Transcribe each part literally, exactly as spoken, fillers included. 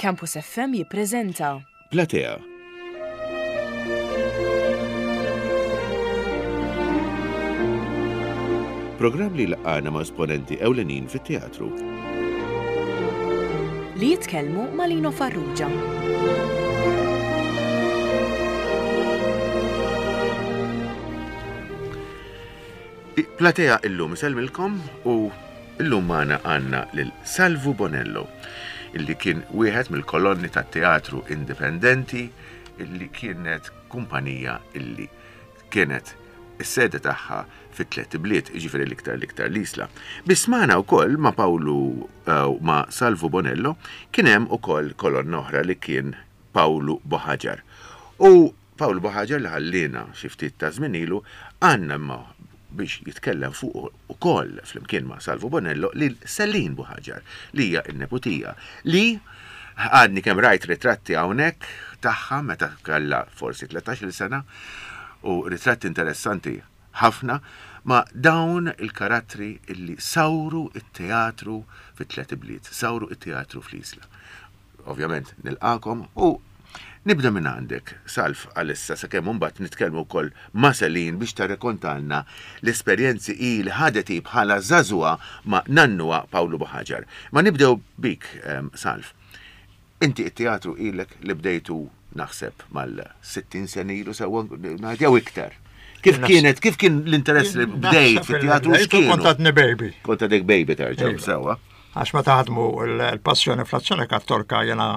Campus F M jippreżenta Platea. Programm li laqana ma' esponenti ewlenin fit-teatru. Li jitkellmu ma' Lino Farrugia. Platea illum isellmilkom u illum magħna għandna lil Salvu Bonello, illi kien wieħed mill-kolonni tat-teatru indipendenti, illi kienet kumpanija illi kienet is-sede tagħha fit-tliet bliet, jiġifieri l-iktar l-iktar l-Isla. Biss magħna wkoll ma' Pawlu, eh, ma' Salvu Bonello kien hemm ukoll kolonna oħra li kien Pawlu Buhagiar. U Pawlu Buhagiar li ħallina xi ftit ta' żmien ilu, għandna imma biex jitkellem fuq ukoll flimkien ma' Salvu Bonello lil Celine Buhagiar, li hija n-neputija, li għadni kemm rajt ritratti hawnhekk tagħha meta kellha forsi tlettax-il sena, u ritratti interessanti ħafna ma' dawn il-karattri illi sawru it-teatru fit-tliet bliet, sawru it-teatru fl-Isla. Ovvjament nilqakom u nibda minn għandek, Salv, għalissa sakemm imbagħad nitkellmu wkoll ma' Celine biex tarrekontalna l-esperjenzi hi li ħadet hi bħala żagħżugħa ma' nannuha Pawlu Buhagiar. Ma nibdew bik, ehm, Salv. Inti it-teatru ilek li bdejtu naħseb mal-sittin sena ilu sewwa ngħid jew iktar. Kif Naħseb- kienet, kif kien l-interess li bdejt Naħseb fit-teatru il-bdejtu x'kienu? Kont għadni baby. Kont għadek baby terġa' Iva. sewwa. Għax meta ħadmu l-passjoni fl-azzjoni kattolika jena,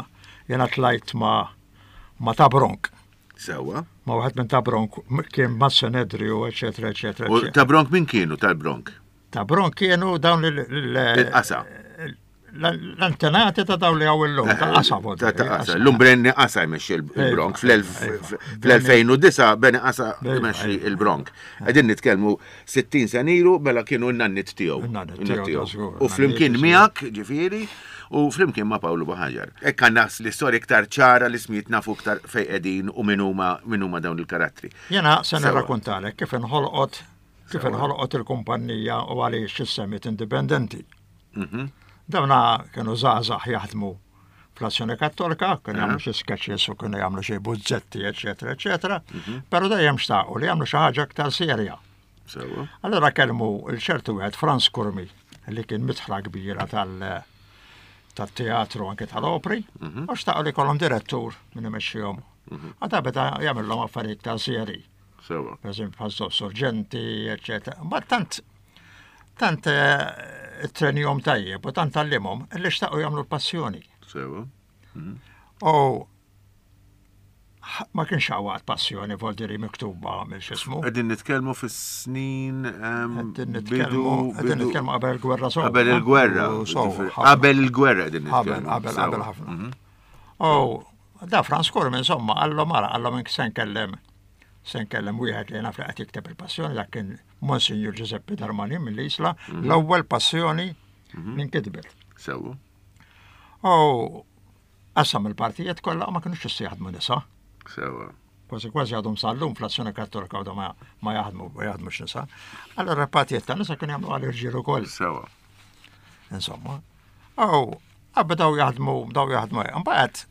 jena tlajt ma' ma' ta' Bronk. Sewwa. Ma' wieħed minn ta' Bronk kien ma' Senedriu, eċetera, eċetera, U eċetera. ta' Bronk min kienu tal-Bronk? Ta' Bronk kienu dawn il- il- Il-qasa. l-antenati ta' dawn li għaw illum, ta' qasa vod. Ta' ta' qasa. L-lum Brenni Qasa jmexxi il-Bronk. Iva, iva. Fl-elfejn u disa' Brenni Qasa Iva, jmexxi iva. il-Bronk. Qegħdin nitkellmu sittin sena ilu, mela kienu n-nannit tiegħu. In-nannit In-nannit tiegħu, tiegħu. ta' żgur, U flimkien in-nannit miegħek, ġifieri, u flimkien ma' Pawlu Buhagiar. Hekk għandna l-istorja iktar ċara, l-ismijiet nafu iktar fejn qegħdin u min huma, min huma dawn il-karattri. Jena se Sewa. nirrakkontalek kif inħolqot, kif Sewa. inħolqot il-kumpanija u għaliex issemmiet indipendenti. Mhm. Dawna kienu żgħażagħ jaħdmu fl-Azzjoni Kattolika, kienu Aha. jagħmlu xi sketches u kienu jagħmlu xi buzzetti, eċetera, eċetera, Mhm. però dejjem xtaqu li jagħmlu xi ħaġa aktar serja. Sewa. Allora kellmu l-ċertu wieħed Franz Curmi, li kien mitħla kbira tal- tat-teatru anke tal-opri, Mhm. u xtaqu li kollhom direttur minn imexxihom. Għada beda jagħmilhom affarijiet ta' seri, Sewa. per eżempju bħal sorġenti, eċetera. Ma tant tant, eh, it-trenjom tajjeb u tant għallimhom li xtaqu jagħmlu l-passjoni. Sewa. U ma kienx għawad passjoni voldiri miktuba mill xismu. Qegħdin nitkellmu fis-snin, ehm, Qegħdin bidu- nitkellmu, qegħdin bidu- nitkellmu qabel il-gwerra sewwa. Qabel il-gwerra. U sewwa, Ġifieri, ħafna. Qabel il-gwerra qegħdin Qabel, nitkellmu. qabel, Sewwa. qabel ħafna. Mhm. U da Franz Curmi, insomma, għallu mara, għallu minn se nkellem, se nkellem wieħed li naf li qed jikteb il-passjoni, dak kien Monsignor Giuseppe Darmanin mill-Isla, Mhm. l-ewwel passjoni li nkitbet. Sewwa. U qassam il-partijiet kollha u ma kinux jistgħu jaħdmu nisa. Sewwa. Kważi kważi għadhom sal-lum fl-azzjoni kattolika għadhom ma, ma jaħdmu, ma jaħdmux nisa. Allora partijiet ta' nisa kienu jagħmlu għal irġiel ukoll. Sewwa. Insomma. U qabel daw jaħdmu, daw jaħdmu. Mbagħad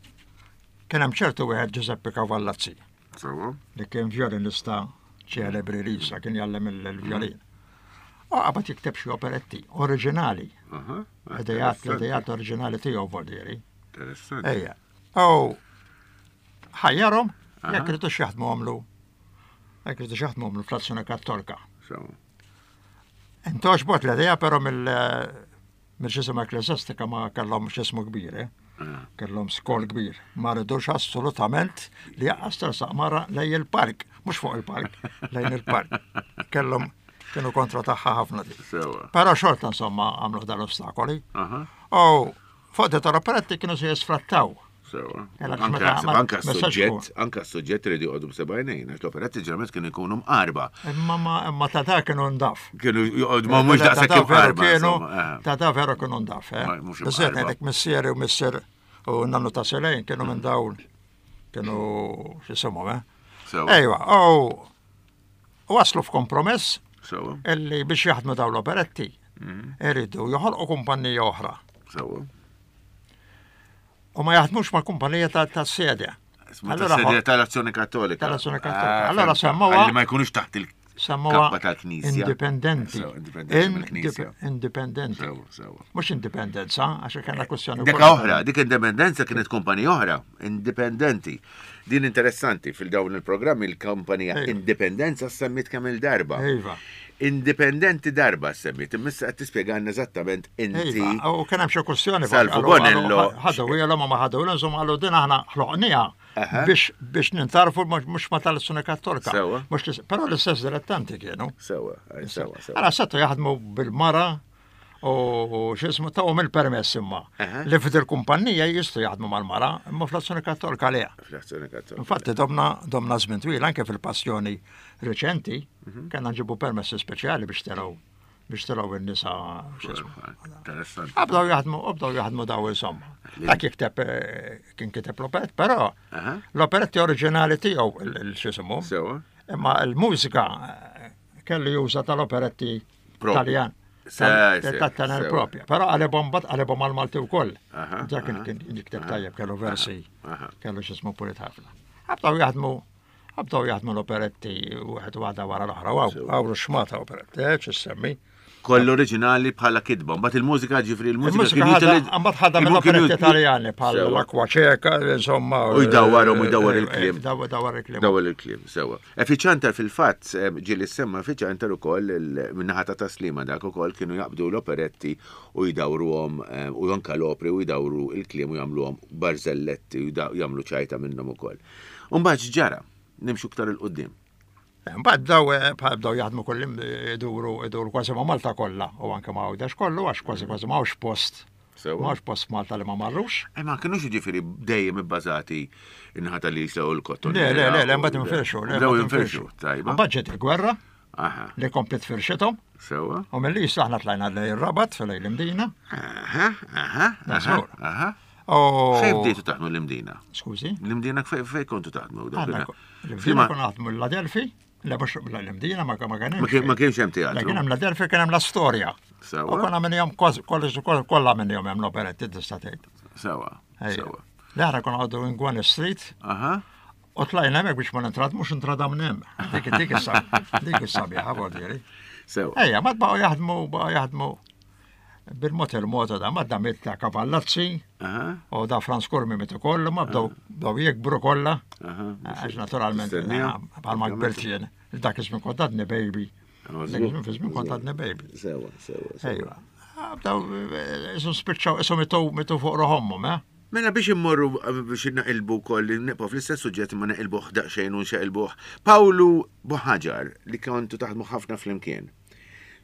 kien hemm ċertu wieħed Giuseppe Cavallazzi Sewwa. li kien violinista ċelebri Lisa, kien jgħallem il-violin. U qabad jikteb xi operetti oriġinali, Aha. idejat, l-idejat oriġinali tiegħu voldieri. Interessanti. Ejja. U ħajjarhom Aha. jekk ridux jaħdmu għamlu jekk ridux jaħdmu għamlu fl-azzjoni kattolika. Sewwa. Intogħġbot l-idea però mill mill-xisma ekklesjastika ma kellhom xismu kbir, eh? Ah. Kellhom skol kbir. Ma ridux assolutament li jaqqas tersaq mara lejn il-park, mhux fuq il-park, lejn il-park. Kellhom kienu kontra tagħha ħafna di. Sewwa. Però xorta insomma għamlu dal-ostakoli. Aha. U fuq dit operetti kienu se jisfrattaw. Sewwa. Ela, Anka meta- naħseb ma- anka ma sax s-suġġett, tkun. anka s-suġġett rridu joqogħdu b'sebgħinejn, għax l-operetti ġeneralment kienu jkunu mqarba. Imma ma imma ta' da kienu ndaf. Kienu joqogħdu ma mhux Ta' daqshekk da veru imqarba. kienu, insomma, eh. ta' da veru kienu ndaf, eh. Ma- mhux Biżżejjed imqarba. ngħidlek missieri u missier u nannu ta' Selejn kienu minn dawn kienu x'isimhom, eh. Sewwa. Ejwa, u waslu f'kompromess Sewwa. illi biex jaħdmu dawn l-operetti Mhm. iridu joħolqu kumpanija oħra. Sewwa. U ma jaħdmux mal-kumpanija tas-sede. Allora tal-Azzjoni Kattolika. Tal-Azzjoni Kattolika. Allora semmuha. Li ma jkunux taħt il-kappa tal-Knisja. Indipendenti. Indipendenti. Mhux indipendenza, għax kellna kwestjoni. Dik oħra, dik indipendenza kienet kumpanija oħra, indipendenti. Din interessanti fil-dawn il-programmi il-kumpanija Indipendenza semmit kemm il-darba. Iva. Indipendenti darba semmit, imma qed tispjegana eżattament inti. U kien hemm xi kwestjoni. Salvu Bonello. Ħadu ilhom ma ħadu ilhom, insomma qalu din aħna ħloqniha biex biex nintarfu mhux ma tal-Azzjoni Kattolika. Però l-istess dilettanti kienu. Sewa, sewa, sewa. Allora setgħu jaħdmu bil-mara u x'ismu tawhom il-permess imma. Li f'dil kumpanija jistgħu jaħdmu mal-mara, imma fl-Azzjoni Kattolika le. Fl-Azzjoni Kattolika. Infatti domna domna żmien twil anke fil-passjoni reċenti kellna nġibu permessi speċjali biex telgħu biex telgħu in-nisa x'ismu. Interessanti. Bdew jaħdmu, bdew jaħdmu daw insomma. Dak jikteb kien kiteb l-operett, però l-operetti oriġinali tiegħu il-x'ismu. Sewa. Imma l-mużika kellu juża tal-operetti Taljan. Tat-tenor propja. Però għalibhom bat għalibhom għal-Malti wkoll. Dak kien jikteb tajjeb, kellu versi, kellu x'ismu pulit ħafna. Bdew jaħdmu bdew jaħdmu l-operetti wieħed waħda wara l-oħra. Għawru xmata operetti, x'issemmi. Kollu oriġinali bħala kitba, mbagħad il-mużika ġifri il-mużika mbagħad ħadha mill-operetti Taljani bħal l-Akwa Ċeka, insomma. U jdawwarhom u jdawwar il-kliem. Dawwar il-kliem. Dawwar il-kliem, sewa. Fiċantar fil-fatt ġieli semma Fiċantar ukoll min-naħa ta' Taslima dak ukoll kienu jaqbdu l-operetti u jdawruhom u anke l-opri u jdawru il-kliem u jagħmluhom barzelletti u jagħmlu ċajta minnhom ukoll. U mbagħad x'ġara? Nimxu iktar il quddiem. Mbagħad bdew bdew jaħdmu kullim iduru iduru kważi ma' Malta kollha u anke ma' Għawdex kollu għax kważi kważi ma hawnx post. Ma hawnx post Malta li ma marrux. Ma kinux jiġifieri dejjem ibbażati in-naħa tal-Isla u l-Kotton. Le, le, le, le, mbagħad infirxu. Bdew jinfirxu, tajba. Mbagħad ġiet il-gwerra li komplet firxithom. Sewa. U mill-Isla aħna tlajna lejn ir-Rabat lejn l-Imdina. Aha, aha, aha. Fejn bdejtu taħdmu l-Imdina? Skużi? L-Imdina fejn kontu taħdmu? L-Imdina konna naħdmu l-Adelphi. Le mhux l-Imdina ma kienx. Ma kienx hemm teatru. Kien hemm l-Adelphi kien hemm l-Astorja. Sewa. U konna minnhom kważi kollha minnhom hemm l-operetti tista' tgħid. Sewa. Sewa. Le aħna konna għadu Ingwan Street. Aha. U tlajna hemmhekk biex ma nintradmux intradam hemm. Dik dik dik is-sabiħa vuol Sewa. Ejja, ma baqgħu jaħdmu baqgħu jaħdmu bil-mod il-mod da ma damit ta' Kavallazzi u da Franz Curmi mit ukoll ma bdew bdew jikbru kollha. Għax naturalment bħalma kbirt jien. Dak iż-żmien kont għadni baby. Dak iż-żmien fi żmien kont għadni baby. Sewa, sewa. Ejwa. Bdew isom spiċċaw isom mitu mitu fuq ruħomhom, eh? Mela biex immorru biex naqilbu wkoll nibqgħu fl-istess suġġett ma naqilbuh daqsxejn u nxaqilbuh. Pawlu Buħaġar li kontu taħdmu ħafna flimkien.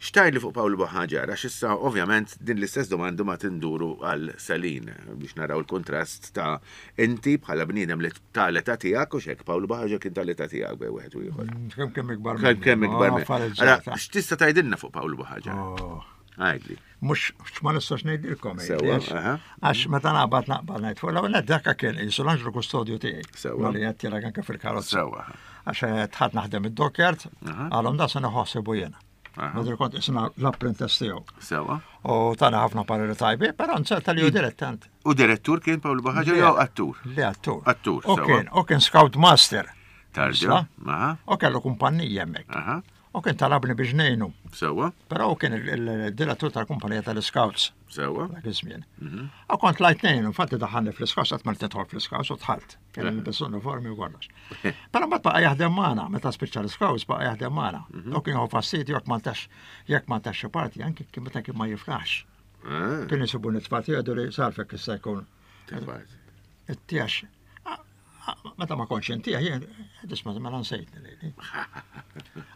Xtajli fuq Pawlu Buħaġar, għax issa ovvjament din l-istess domanda ma tinduru għal Selin biex naraw il-kontrast ta' inti bħala bniedem li tal-età tiegħek u xek Pawlu Buħaġar kien tal-età tiegħek bej wieħed u ieħor. Kemm kemm ikbar. Kemm kemm ikbar. Allora x'tista' tgħidilna fuq Pawlu Buħaġar? Għidli. Mhux ma nistax ngħidilkom. Għax meta naqbad naqbad ngħid fuq l-ewwel dak kien qisu l-anġlu kustodju tiegħi. Sewa. Li qed tielek anke fil-karozza. Sewa. Għax tħadd naħdem id-dockyard, għalhom da se neħossibu jiena. Madri kont isna l-apprentice tiegħu. Sewa. U tana ħafna pareri tajbi, però nserta li hu dilettant. U direttur kien Pawlu Buħaġar jew attur? Le attur. Attur, sewa. U kien scout master. Tarġa. U kellu kumpanija hemmhekk. U kien talabni biex ngħinu. Sewa. Però u kien il-direttur tal-kumpanija tal-Scouts. Sewa. Dak iż-żmien. U kont tlajt ngħinu, infatti daħħalni fl-Scouts, qatt ma tidħol fl-Scouts u dħalt. Kien nilbes uniformi u kollox. Però mbagħad baqa' jaħdem magħna, meta spiċċa l-Scouts baqa' jaħdem magħna. U kien jieħu fastidju jekk ma ntax jekk ma ntax xi parti, anke kien meta kien ma jiflaħx. Kien isibu nitfal jgħidu li sarfek issa jkun. It-tiex. Meta ma kontx intih, jien tisma' mela nsejtni lili.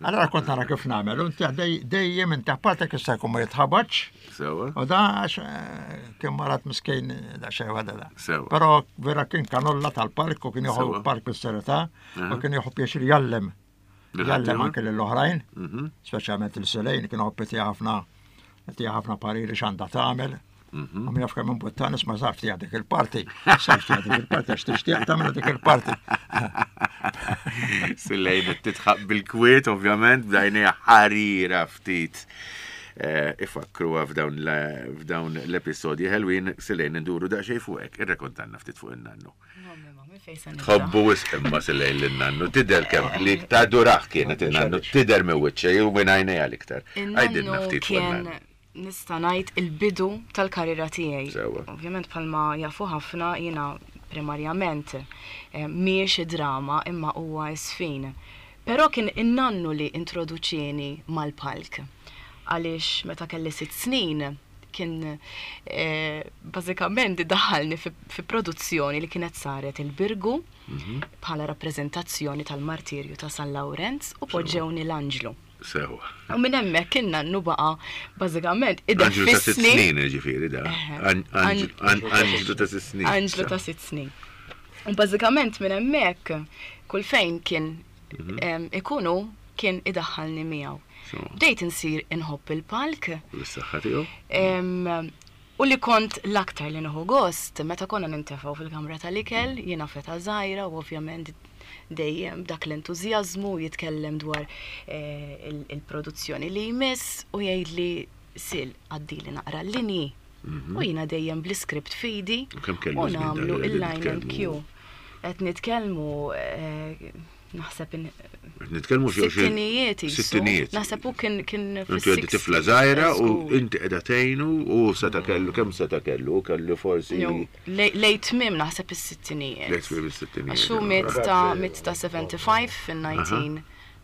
Allora kont nara kif nagħmel, u intih dejjem intih partek issa jkun ma jitħabatx. Sewa. U da għax kien marat miskin da xejn waħda da. Sewa. Però vera kien kanolla tal-park u kien jieħu park bis-serjetà u kien jieħu pjaċir jgħallem. Jgħallem anke lill-oħrajn, speċjalment il-Selejn kien jħobb itih ħafna itih ħafna pariri x'għandha tagħmel. U min jaf kemm imbuttan isma' sarf tiegħek dik il-parti. Sarf tiegħek dik il-parti għax tixtieq tagħmel dik il-parti. Silejn qed titħaq bil-kwiet ovvjament b'dajnejha ħarira ftit. eh, ifakru f'dawn l- f'dawn l-episodji ħelwin. Silejn, nduru daqsxejn fuqek, irrekontanna ftit fuq in-nannu. Tħobbu wisq imma Silejn lin-nannu, tidher kemm li tadurah kienet in-nannu, tidher minn wiċċha jew minn għajnejha l-iktar. Għidilna In-nannu ftit fuq kien, in-nannu. nista' ngħid, il-bidu tal-karriera tiegħi. Sewwa. Ovvjament, bħalma jafu ħafna, jiena primarjament eh, mhijiex drama imma huwa żfin. Però kien in-nannu li introduċieni mal-palk. Għaliex meta kelli sitt snin kien eh, bażikament daħalni fi, fi produzzjoni li kienet saret il-Birgu bħala rappreżentazzjoni tal-martirju ta' San Lawrenz u poġġewni l-anġlu. Sewwa. U minn hemmhekk kien nannu baqa' bażikament Anġlu ta' sitt ideffisni. snin, ġifieri da. Eħe. An- Anġlu an- Anġlu ta' sitt snin. Anġlu ta' sitt snin. U bażikament minn hemmhekk kull fejn kien em, ikunu kien idaħħalni miegħu. So, Bdejt insir inħobb il-palk. Bis-saħħa tiegħu. Em, U li kont l-aktar li nieħu gost, meta konna nintefgħu fil-kamra tal-ikel, jiena feta żgħira u ovvjament dejjem dak l-entużjażmu jitkellem dwar eh, il- il-produzzjoni li jmiss u jgħidli, "Sil, għaddili naqra l-linji." U jiena dejjem bl-iskript f'idi U kemm kellu u żmien dan nagħmlu li qegħdin il-line and nitkellmu? cue. Qed nitkellmu eh, naħseb in- Qed nitkellmu xi sittinijiet jisu. Sittinijiet. Naħseb u kien kien Inti għaddi tifla żgħira u inti qiegħda tgħinu u seta kellu kemm seta kellu kellu forsi Lejn tmiem naħseb is-sittinijiet. Lejn tmiem is-sittinijiet. Għax hu miet ta' miet ta' sebgħa u sebgħin fil-elf disa' mija u disgħa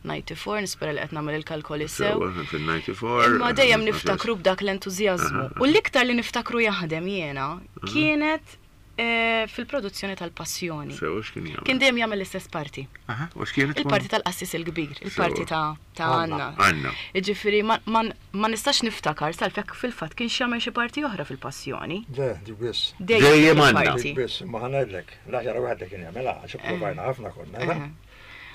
u disgħin, nispera li qed nagħmel il-kalkoli sew. Sewwa, fil-disgħa u disgħin. Imma dejjem niftakru b'dak l-entużjażmu. U l-iktar li niftakru jaħdem jiena kienet eh, fil-produzzjoni tal-Passjoni. Sewwa, x'kien jagħmel? Kien dejjem jagħmel l-istess parti. Aha, u x'kienet? Il-parti tal-qassis il-kbir, il-parti ta' ta' Anna. Anna. Ġifieri, ma, ma, ma nistax niftakar sal-fek fil-fatt kien jagħmel xi parti oħra fil-Passjoni. Le, dik biss. Dejjem Anna. il-parti. Dik biss, ma ħa ngħidlek, l-aħjar wieħed li kien jagħmilha, għax provajna ħafna konna, Eħe.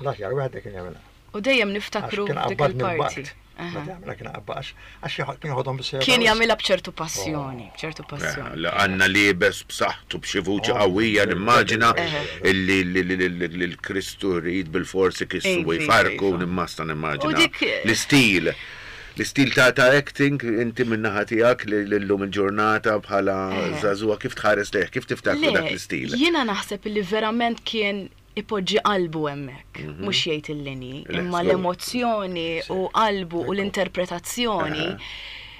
l-aħjar wieħed li kien jagħmilha. U dejjem Għax niftakru kien dik qabbadni il-parti. l-bart. Aha. Meta jagħmilha kien qabba għax għax kien jħodhom bis Kien jagħmilha b'ċertu passjoni, b'ċertu passjoni. La Anna liebes b'saħħtu b'xi vuċi Oh, qawwija, nimmaġina Eħe. illi li l-Kristu rrid bil-forsi kissu u Iva, jfarku, iva. nimmasta nimmaġina. U dik- L-istil. L-istil ta' ta' acting, inti min-naħa tiegħek li l-lum il-ġurnata bħala Eħe. żagħżugħa kif tħares lejh, kif tiftakru dak l-istil? Jiena naħseb li verament kien ipoġġi qalbu hemmhekk, mhux jgħid il-linji, Le, imma żgur. l-emozzjoni u qalbu u l-interpretazzjoni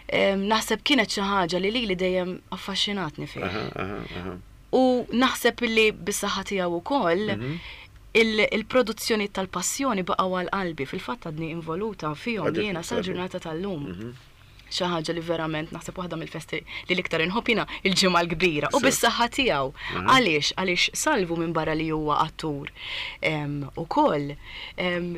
em, naħseb kienet xi ħaġa li lili dejjem affaxxinatni fih. Aha, aha, aha. U naħseb li bis-saħħa tiegħu ukoll il- il-produzzjoni tal-Passjoni baqgħu għal qalbi, fil-fatt għadni involuta fihom Għadek jiena sal-ġurnata tal-lum. Xi ħaġa li verament naħseb waħda mill-festi li l-iktar inħobb jiena il-Ġimgħa l-Kbira u Sew. bis-saħħa tiegħu. Għaliex? Għaliex Salvu minn barra li huwa attur em, ukoll em,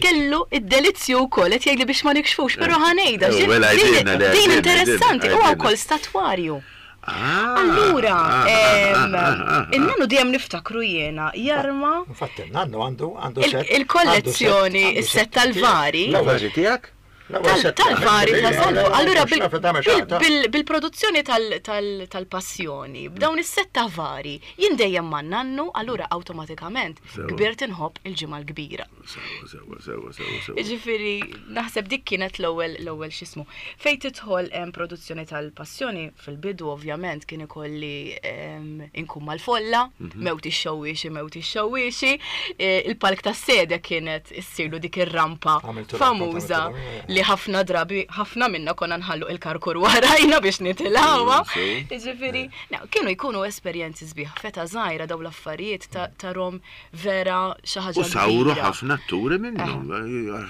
kellu id-delizzju wkoll qed jgħidli biex ma nikxfux, però ħa ngħidha Eh, din- mela din għidilna, le, din għidilna, interessanti, għidilna, huwa għidilna. wkoll statwarju. Ah, Allura, ah, em, ah, ah, ah, ah. in-nannu dejjem niftakru jiena jarma Infatti, nannu għandu għandu Il- set. il-kollezzjoni, għandu set- is-set tal-vari. L-ewwel- L-ewwel tiegħek? l-ewwel tal- set tal-vari ta' Salvu. Allura bil- Xafa tagħmel bil- xaħta. bil- bil-produzzjoni tal- tal- tal-Passjoni, b'dawn is-set ta' vari, jien dejjem ma' nannu, allura awtomatikament Sewa. kbirt inħobb il-Ġimgħa l-Kbira. Sewwa, sewwa, sewwa, sewwa, sewwa. Ġifieri, naħseb dik kienet l-ewwel l-ewwel x'ismu. Fejn tidħol em, produzzjoni tal-Passjoni fil-bidu ovvjament kien ikolli em, inkun mal-folla, mewt ix-xewwiexi, mewt ix-xewwiexi, eh, il-palk tas-sede kienet issirlu dik ir-rampa Għamiltu rampa, famuża għamiltu rampa, li ħafna drabi ħafna minna konna nħallu il-karkur warajna biex nitilgħuha. Sew. Ġifieri, no, kienu jkunu esperjenzi sbieħ, feta żgħira daw l-affarijiet ta- tarom vera xi ħaġa U sawru kbira. ħafna atturi minnhom,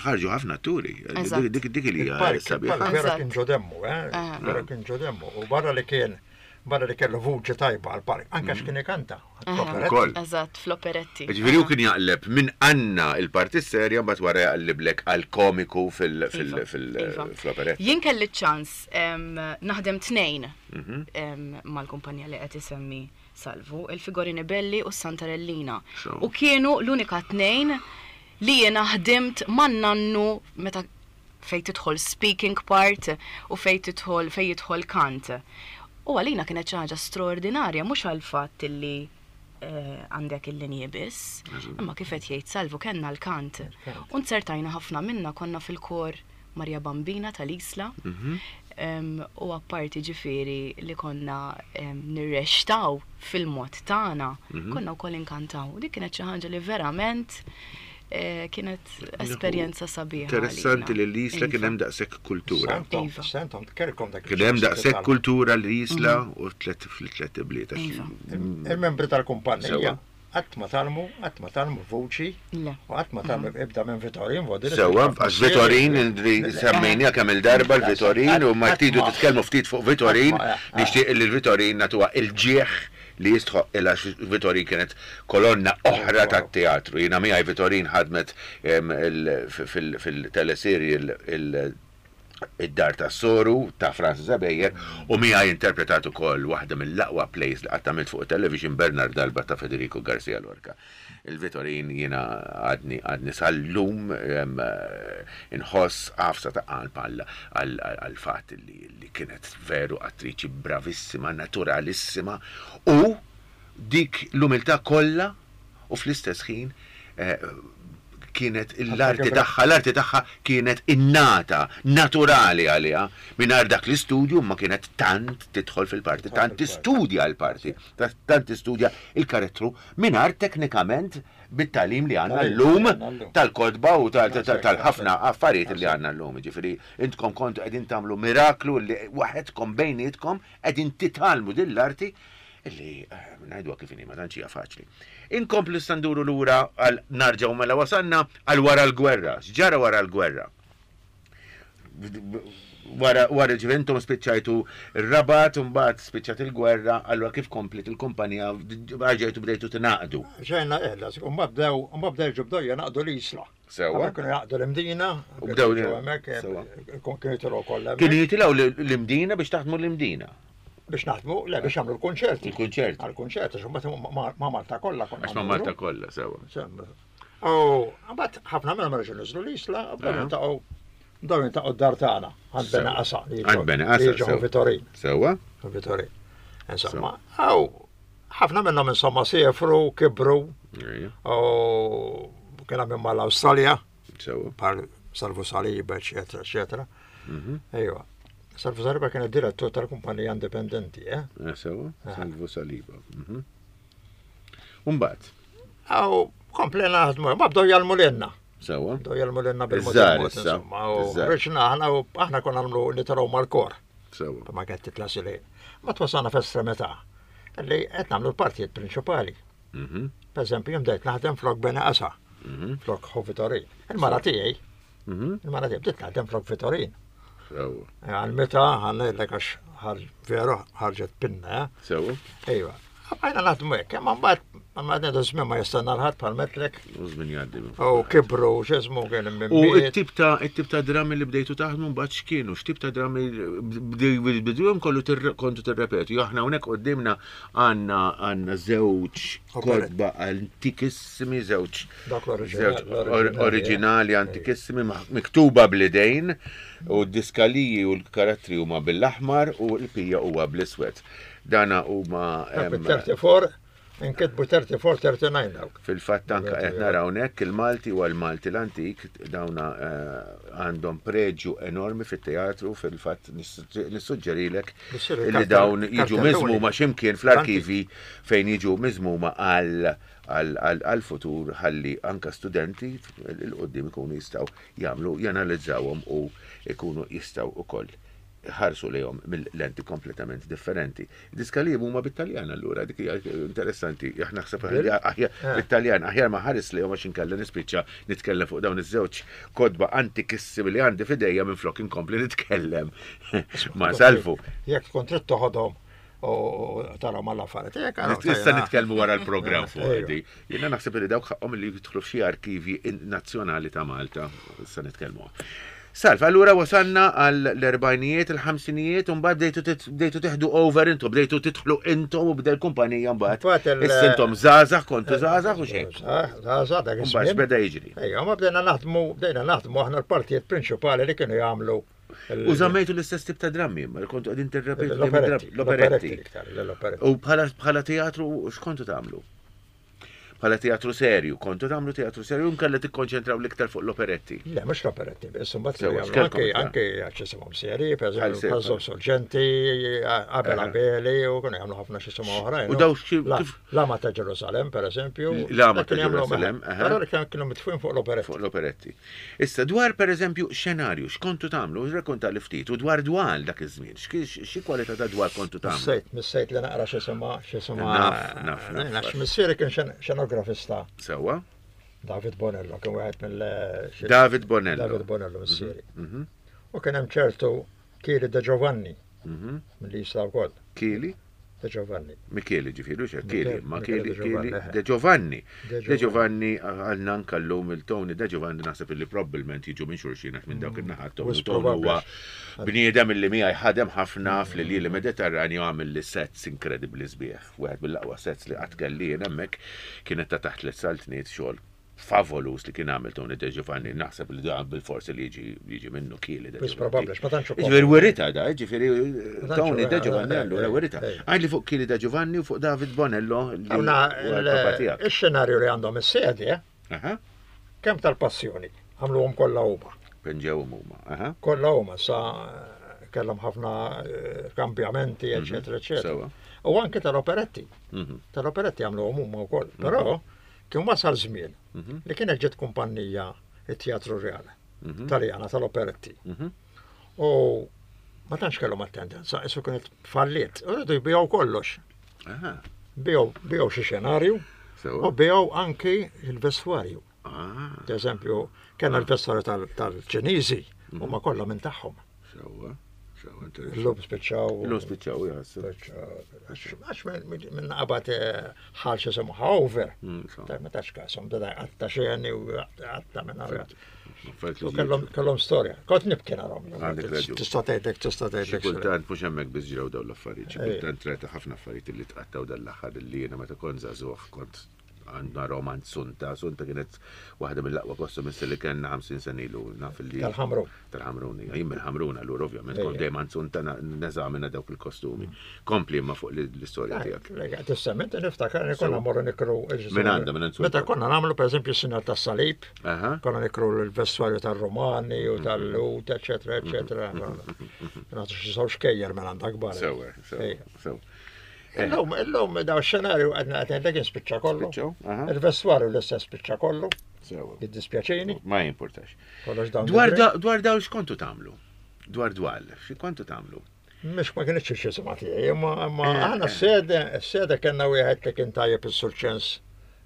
ħarġu ħafna atturi. Eżatt. Dik dik li hija Il-park, sabiħa. il-park vera Eżatt. kien ġo demmu, eh? Aha. Vera kien ġo demmu. U barra li kien, barra li kellu vuċi tajba għal-park, anke x'kien ikanta. Aha. Ukoll. Eżatt, fl-operetti. Ġifieri hu kien jaqleb minn Anna il-parti serja, mbagħad wara jaqliblek għal komiku fil- fil- Iva, fil- iva. fl-operetta. Jien kelli ċans em, naħdem tnejn Mhm. em, mal-kumpanija li qed isemmi Salvu, il-Figorini Belli u s-Santarellina. So. U kienu l-unika tnejn li jiena ħdimt man nannu meta fej tidħol speaking part u fej tidħol fej jidħol kant. U għalina kienet xi ħaġa straordinarja mhux għal fatt li eh, għandek il-linji biss, imma kif qed jgħid Salvu kellna l-kant. U nzertajna ħafna minna konna fil-kor Maria Bambina tal-Isla. U apparti ġifieri li konna nirreċtaw fil-mod tagħna, konna wkoll inkantaw. Dik kienet xi ħaġa li verament kienet esperjenza sabiħa. Interessanti li l-Isla kien hemm daqshekk kultura. Iva. Sentom, kelkom dak. Kien hemm daqshekk kultura l-Isla u tliet fil-tliet ibliet. Il-membri tal-kumpanija qatt ma tgħallmu, qatt ma tgħallmu vuċi u qatt ma tgħallmu ibda minn Vitorin. Sewwa, għax Vitorin semmejniha kemm il-darba l-Vitorin u ma tridu titkellmu ftit fuq Vitorin, nixtieq li l-Vitorin nagħtuha il-ġieħ li jistħoq il għax Vitorin kienet kolonna oħra tat-teatru. Jiena miegħi Vitorin ħadmet fil-teleserje id-Dar tas-Soru ta' Francis Ebejer u miegħi interpretat ukoll waħda mill-aqwa plays li qatt għamilt fuq television Bernard Alba ta' Federico Garcia Lorca. Il-Vitorin jiena għadni għadni sal-lum inħoss għafsa ta' qalb għal-fatt li kienet veru attriċi bravissima, naturalissima u dik l-umiltà kollha u fl-istess ħin kienet l-arti tagħha, l-arti tagħha kienet innata, naturali għaliha, mingħajr dak l-istudju ma kienet tant tidħol fil-parti, tant tistudja l-parti, tant tistudja il-karattru mingħajr teknikament bit-tagħlim li għandna llum tal-kotba u tal-ħafna affarijiet li għandna llum. Ġifieri intkom kontu qegħdin tagħmlu miraklu li waħedkom bejnietkom qegħdin titgħallmu din l-arti illi ngħiduha kif inhi ma tantx hija faċli. Inkomplu nduru lura għal narġgħu mela wasalna għal wara l-gwerra. X'ġara wara l-gwerra? Wara wara ġifieri intom spiċċajtu r-Rabat u mbagħad spiċċat il-gwerra, allura kif komplet il-kumpanija rġajtu bdejtu tingħaqdu. Ġejna eħla, u mbagħad bdew u mbagħad bdew bdew jingħaqdu l-Isla. Sewwa. Kienu jaqdu l-Imdina, U bdew hemmhekk kienu jitilgħu kollha. Kienu jitilgħu l-Imdina biex taħdmu l-Imdina. Biex naħdmu, le biex jagħmlu l-kunċerti. Il-kunċerti. Għal-kunċerti, għax mbagħad ma' Malta kollha konna. Għax ma' Malta kollha, sewwa. U mbagħad ħafna minnhom reġgħu niżlu l-Isla, u bdew jiltaqgħu bdew jiltaqgħu d-dar tagħna, għand Bene Qasa. Għand Bene Qasa. Jiġu Vitorin. Sewwa. Vitorin. Insomma, aw ħafna minnhom insomma siefru, kibru. U kien hemm mal-Awstralja. Sewwa. Bħal Salvu Saliba, eċetera, eċetera. Ejwa. Salvu Saliba kien id-direttur tal-kumpanija indipendenti, eh? Sewwa, Salvu Saliba. Umbagħad. Aw, komplejna naħdmu, ma bdew jgħallmu lilna. Sewwa. Bdew jgħallmu lilna bil-mod. Insomma, u rġna aħna u aħna konna nagħmlu nitilgħu mal-kor. Sewwa. Ma kienet titla' silejn. Ma twasalna f'estremità li qed nagħmlu l-partijiet prinċipali. Per eżempju, jien bdejt naħdem flok Bene Qasa, flok Ħu Vitorin. Il-mara tiegħi, il-mara tiegħi bdiet naħdem flok Vitorin. Sewwa. Għal meta ħanejlek għax veru ħarġet pinna. Sewwa. Ejwa. Għajna naħdmu hekk, imma mbagħad ma ngħidu żmien ma jistenna l-ħadd bħal metlek. U żmien jgħaddi. U kibru x'ismu kien minn. U t-tip ta' it-tip ta' drammi li bdejtu taħdmu mbagħad x'kienu, x'tip ta' drammi bdejtu kollu kontu tirrepetu. Jo aħna hawnhekk quddiemna għandna għandna żewġ kotba antikissimi, żewġ oriġinali antikissimi miktuba bl-idejn u d-diskaliji u l-karattri huma bil-aħmar u l-pija huwa bl-iswed. Dana huma thirty-four, inkitbu thirty-four, thirty-nine dawk. Fil-fatt anke qed naraw hawnhekk il-Malti u l-Malti l-antik dawna għandhom preġju enormi fit-teatru, fil-fatt nissuġġerilek li dawn jiġu miżmuma x'imkien fl-arkivi fejn jiġu miżmuma għal-futur ħalli anka studenti l-qoddim ikunu jistgħu jagħmlu janalizzawhom u jkunu jistgħu ukoll ħarsu lejhom mill-lenti kompletament differenti. Diskalib huma bit-Taljan allura, dik hija interessanti. Aħna naħseb aħjar bit-Taljan, aħjar ma ħares lejhom għax inkella nispiċċa nitkellem fuq dawn iż-żewġ kotba antikissimi li għandi f'idejja minflok inkompli nitkellem ma' Salvu. Jekk tkun trid toħodhom u tara mal-affarijiet. Issa nitkellmu wara l-programm fuq di. Jiena naħseb li dawk ħaqhom li jidħlu f'xi arkivi nazzjonali ta' Malta. Issa nitkellmu. Salv, allura wasalna għall-erbajnijiet, il-ħamsinijiet, u mbagħad bdejtu teħdu over intom, bdejtu tidħlu intom u bdej l-kumpanija mbagħad. Issa intom żgħażagħ, kontu żgħażagħ u xejn. Żgħażagħ dak iż-żmien. Mbagħad x'beda jiġri. Ejja, ma bdejna naħdmu, bdejna naħdmu aħna l-partijiet prinċipali li kienu jagħmlu. U żammejtu l-istess tip ta' drammi, ma kontu qegħdin tirrepetu l-operetti. U bħala teatru x'kontu tagħmlu? Bħala teatru serju, kontu tagħmlu teatru serju nkella tikkonċentraw l-iktar fuq l-operetti. Le, mhux l-operetti, biss imbagħad Sewa, kienu jagħmlu x'kellkom anke iktar? anke x'isimhom serji, Bħal pereżempju serji, bħal bħal- Sorgenti, Abel Aha. Abeli, u kienu jagħmlu ħafna x'isimhom oħrajn. U daw xi- La- kif- L-Ama ta' Ġerusalem, pereżempju. L-Ama dak ta' kienu jagħmlu- Ġerusalem, aha. Però kienu kienu mitfujn fuq l-operetti. Fuq l-operetti. Issa dwar per eżempju xenarju, x'kontu tagħmlu, rrakkonta li ftit, u dwar dwal dak iż-żmien, x'ki- xi kwalità ta' dwal kontu tagħmlu? Missejt, missejt li naqra x'isimha, x'isimha. Naf, naf, naf. Għax missieri kien xen- xenografista Sewwa? David Bonello, kien wieħed mill xi- David Bonello. David Bonello missieri. Mhm, U kien hemm ċertu Kili De Giovanni mhm. mill-Isla wkoll, Kili? De Giovanni. Michele ġifieri, xe, Kili, Michele- ma Michele Kili, De Giovanni, Kili, eh. De Giovanni. De De Giovanni għalna nkallum il-Tony De Giovanni naħseb illi probabbilment jiġu minn xulxin għax minn dawk in-naħat Tony Wis Tony huwa probabbli. bniedem illi miegħi ħadem ħafna fl-lili Mediterranju għamil li sets inkredibbli sbieħ. Wieħed mill-aqwa sets li qatt kelli jien hemmhekk kienet ta' taħt tliet saltniet xogħol favolus li kien għamil Tony De Giovanni naħseb li dan bil-forsi li jiġi jiġi minnu Kili De Wis Giovanni. probabbli, ma tantx ukoll. Ġifieri werita da, ġifieri Ma tantx Tony hu, De eh, Giovanni eh, allura eh, werita. eh. Għajli fuq Kili De Giovanni u fuq David Bonello li Għawna huwa l-papa tiegħek. il-xenarju li għandhom is-sedi, eh, Aha, kemm tal-passjoni, għamluhom kollha huma. Penġewhom huma. Aha, Kollha huma sa eh, kellhom ħafna eh, kambjamenti, eċetera, eċetera. Sewa. U anke tal-operetti, Mhm, tal-operetti għamluhom huma wkoll. Però kien wasal żmien mhm, li kienet ġiet kumpanija it-Teatru Reale mhm, Taljana tal-operetti. mhm. U ma tantx kellhom attendenza, isu kienet falliet. U rridu jbiegħu kollox. Aha, Biegħu biegħu xi xenarju u sewa. biegħu anki il-vestwarju. Ah, Per eżempju, kellna l-vestwarju tal- tal-Ċiniżi u ma kollha minn tagħhom. sewa, sewa, interessanti. Illum spiċċaw. Illum spiċċaw, jaħseb. Spiċċaw. Għax- Għax minn minn qabad eh, ħal xi semmu over. Mm, sewa. Ta' ma tax kasom, beda għatta xeni u għatta minn għatta. Affarijiet li U kellhom kellhom storja. Kont nibki narhom. Għandek raġun. Tista' tgħidlek, tista' Xi tgħidlek. kultant mhux hemmhekk biss ġraw dawn l-affarijiet, xi Ej. kultant rajta ħafna affarijiet li tqattaw dan l-aħħar li jiena meta kont żagħżugħ kont għandna roman Sunta, Sunta kienet waħda mill-aqwa kostumisti li kellna ħamsin sena ilu naf li Tal-Ħamrun. Tal-Ħamrun, hija. Jien mill-Ħamrun allura ovvjament kont Ejja. dejjem għand Sunta na- neżamina dawk il-kostumi. Kompli imma fuq l- l-istorja tiegħek. Tistament niftakar li konna Sewa. morru nikru. Minn għandha, minn għand Sunta. Meta konna nagħmlu pereżempju s-sinjal tas-salib, Aha. konna nikru l-vestwarju tal-Romani u tal-Lut, eċetera, eċetera. Nagħtu xi żewġ xkejjer minn għandha kbar. Sewa, sewa, Ejja. sewa. Illum, illum daw xenarju għadna għadna dak spiċċa kollu. Spiċċaw, aha. Il-vestwarju l-istess spiċċa kollu, Sewa. jiddispjaċini, Ma jimportax. kollox dawn. Dwar the da- dwar daw x'kontu tagħmlu? Dwar dwal, xi kontu tagħmlu? Mhux ma kienx xi sema tiegħi, imma imma Eh, aħna eh. s-sede, s-sede kellna wieħed li kien tajjeb is-Sur Ċens,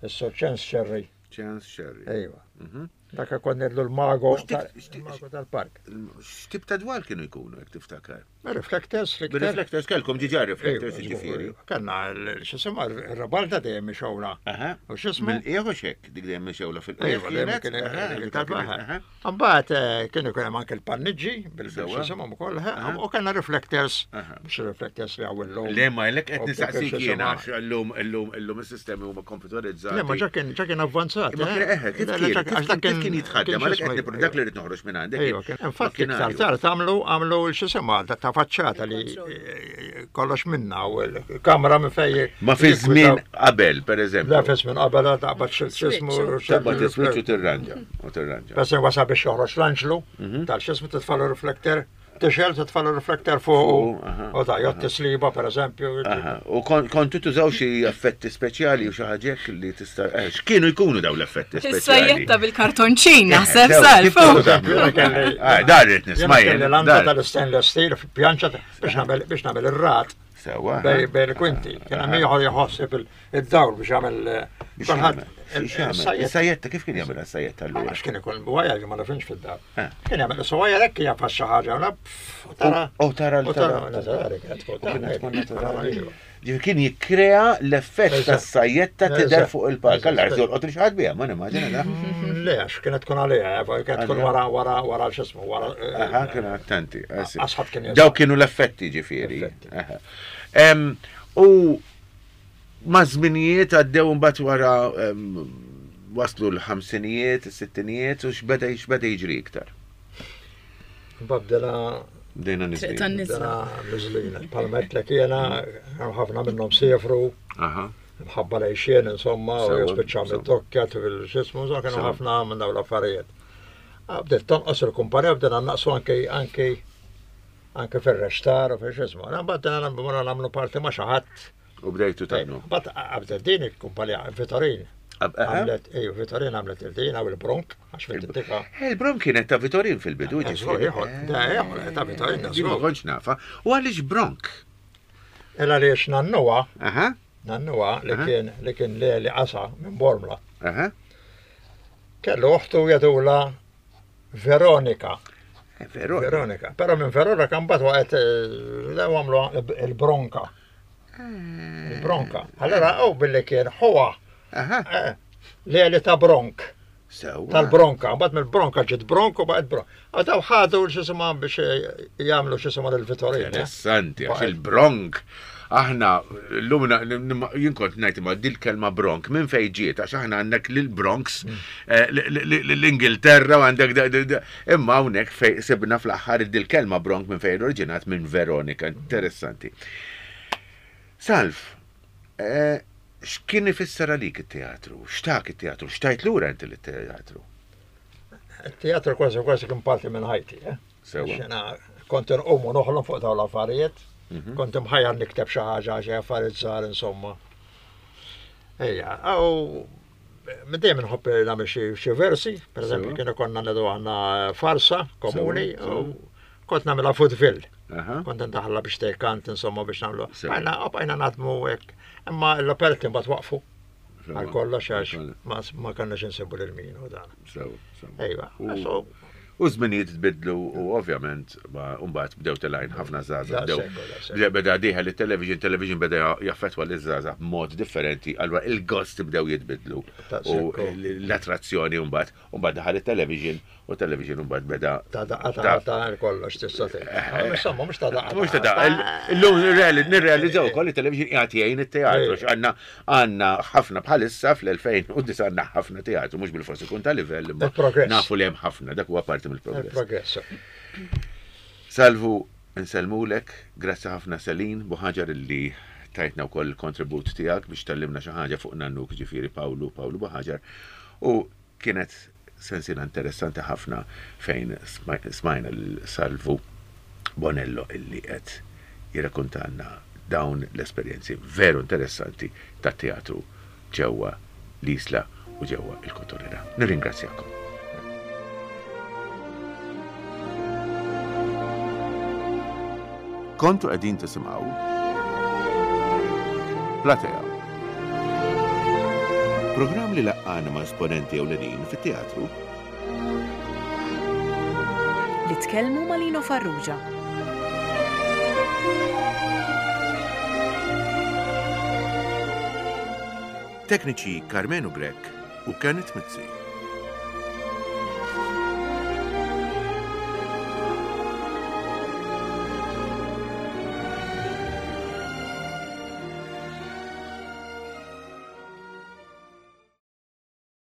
is-Sur Ċens Xerri. Chance Sherry. Ejwa. Mhm. Dak kont nidlu l-mago U x'tip- tal- x'tip- il-mago tal-park. X'tip ta' dwal kienu jkunu jekk tiftakar? Reflectors, l-iktar. Bir-reflectors kellkom ġiġa reflectors Ejwa, jiġifieri. Kellna l- x'isima r-rabalta dejjem mixgħula. Aha. U x'ismu? Mill-qiegħ u xek, dik dejjem mixewla fil-qiegħ. Ejwa, dejjem kienet? kien Aha, kien dik tal-baħar. kienet, aha. Mbagħad eh, kien ikun hemm anke l-panniġġi Sewa. bil-x'isimhom ukoll, eh, Aha. u kellna reflectors, Aha. mhux reflectors li hawn illum. Le ma jlek qed U nistaqsik kif jiena x'isima. għax illum illum illum is-sistemi huma komputerizzati. Le, ma ġa kien ġa kien avvanzat. Imma kien eh. eħe, kif Le, le, kien? ġa- għax dak Kif kien jitħaddem? Għalhekk qed x'ismu- nipro- dak li rrid noħroġ minn għandek. Ejwa, kien. Infatti iktar makkinarju. tard għamlu għamlu x'isima ta' ta' faċċata li Il-control. eh, kollox minna u l-kamra minn fej. Ma fi żmien qabel, per eżempju. La fi żmien qabel taqbad x'ismu. Taqbad is-switch u tirranġa. U tirranġa. Bas wasal biex joħroġ l-anġlu Mhm. tal-xismu titfalu riflekter, tixel titfalu riflekter fuq Fuq, aha, u ta' jott tisliba per eżempju. Aha, U kon- kontu tużaw xi effetti speċjali u xi ħaġa hekk li tista' eh, x'kienu jkunu dawn l-effetti speċjali? Is-sajjetta bil-kartonċin naħseb Sew, salf. kif kontu tagħmlu? Jiena kelli- Ah, Dar rrid Jiena nisma' kelli jien. l-anda dar. tal-stainless steel pjanċa biex nagħmel biex nagħmel ir-rat Sewa. bej bej il-kwinti. Kien hemm ieħor jħossib id-dawl biex jagħmel eh, Biex kulħadd jagħmel. X'jagħmel? is-sajjetta. Is-sajjetta kif kien jagħmel is-sajjetta allura? Għax kien ikun wajja ma nafinx fid-dar. Eh. Kien jagħmel is-wajja hekk kien jafas xi ħaġa u la, pff, u tara. Oh, tara U tara naturali kienet tkun. U kienet tkun naturali. Iva. Ġifieri kien jikkrea l-effett Eżatt. tas-sajjetta tidher Eżatt. fuq il-palk. Eżatt. Allura jolqot xi ħadd biha, ma nimmaġina da. Mm, Le, għax kienet tkun għalija, eh, kienet tkun Għalija. wara wara wara x'ismu, wara. eh, Aha, kienu attenti. eh, sì. Għax ħadd kien jaf. Daw kienu l-effetti ġifieri. Effetti. Aha. Em, U ma' żminijiet għaddew mbagħad wara em, waslu l-ħamsinijiet, is-sittinijiet u x'beda x'beda jiġri iktar. Babdela Bdejna Triq niżlin. tan-niżla. dana miżlina. Palmet li kiena, ħafna minnhom siefru, Aha. Mħabba lejxien, insomma, u jispiċċaw mid-dokkja, fil-xismu, kienu ħafna minn dawn l-affarijiet. Bdiet tonqos il-kumpanija, bdejna naqsu anke anke anke fir-rextar u fil-xismu. Mbagħad bdejna nagħmlu parti ma' xi ħadd. U bdejtu tagħmlu. Mbagħad bdiet din il-kumpanija Vitorin. Għamlet, ejju, Vitorin għamlet il-din għaw il-Bronk, għax fit-tika. Il-Bronk kienet ta' Vitorin fil-bidu, ġifieri. Ta' Vitorin, da' Ma kontx nafa. U għaliex Bronk? Illa għaliex nannuha. Nannuha li kien li kien Leli Qasa minn Bormla. Kellu oħtu jgħidulha Veronika. Veronika. Però minn Veronika mbagħad waqgħet għamlu il-Bronka. Il-Bronka. Allora u billi kien ħuha Leli ta' Bronk. Tal-Bronka, mbagħad mill-Bronka ġiet Bronk u baqgħet Bronk. Għadaw ħadu x'isma biex jagħmlu x'isma lil Vitorin. Interessanti, għax il-Bronk. Aħna, l-lum jien kont ngħid imma dil-kelma Bronk minn fejn ġiet, għax aħna għandek lil-Bronx, l-Ingilterra u għandek imma hawnhekk fej sibna fl-aħħar dil-kelma Bronk minn fejn oriġinat minn Veronika. Interessanti. Salv, x'kien ifisser għalik it-teatru? X'tak it-teatru? X'tajt lura inti lit-teatru? Il-teatru kważi kważi kien parti minn ħajti, eh? Sewa. Kont inqum u noħlom fuq dawn l-affarijiet. Kont imħajjar nikteb xi ħaġa, xi affarijiet żgħar insomma. Ejja, u minn dejjem inħobb nagħmel xi versi, pereżempju kienu konna ngħidu aħna farsa komuni, u kont nagħmilha vaudeville. Kont ndaħħalha biex tejkant insomma biex nagħmlu. Bqajna bqajna naħdmu hekk. Imma l-operti mbagħad waqfu. Għal kollox għax ma kellniex insibu lil min u dan. Ejwa. U żminijiet tbidlu u ovvjament mbagħad bdew telgħin ħafna żgħażagħ bdew beda dieħel it-television, television beda jaffettwa liż-żgħażagħ b'mod differenti, allura il-gost bdew jitbidlu u l-attrazzjoni mbagħad mbagħad daħal it-television u television mbagħad beda ta' daqqa ta' ta' kollox tista' tgħid. Insomma mhux ta' daqqa. Mhux ta' daqqa. Illum nirrealizzaw ukoll it-television qiegħed jgħin it-teatru għandna għandna ħafna bħalissa fl-elfejn u disa' għandna ħafna teatru mhux bil-forsi ikun ta' livell imma nafu li hemm ħafna dak huwa parti mill-progress. Salvu, nsellmulek, grazzi ħafna Selin Buħaġar illi tajtna wkoll il-kontribut tiegħek biex tallimna xi ħaġa fuq nannuk ġifieri Pawlu Pawlu Buħaġar u kienet sensiela interessanti ħafna fejn smajna lil Salvu Bonello illi qed jirrakkontalna dawn l-esperjenzi veru interessanti tat-teatru ġewwa l-Isla u ġewwa il-Kottonera. Nirringrazzjakom. Kontu qegħdin tisimgħu Platea. Programm li laqqana ma' esponenti ewlenin fit-teatru. Li tkellmu ma' Lino Farrugia. Tekniċi Karmenu Grech u Kenneth Mizzi.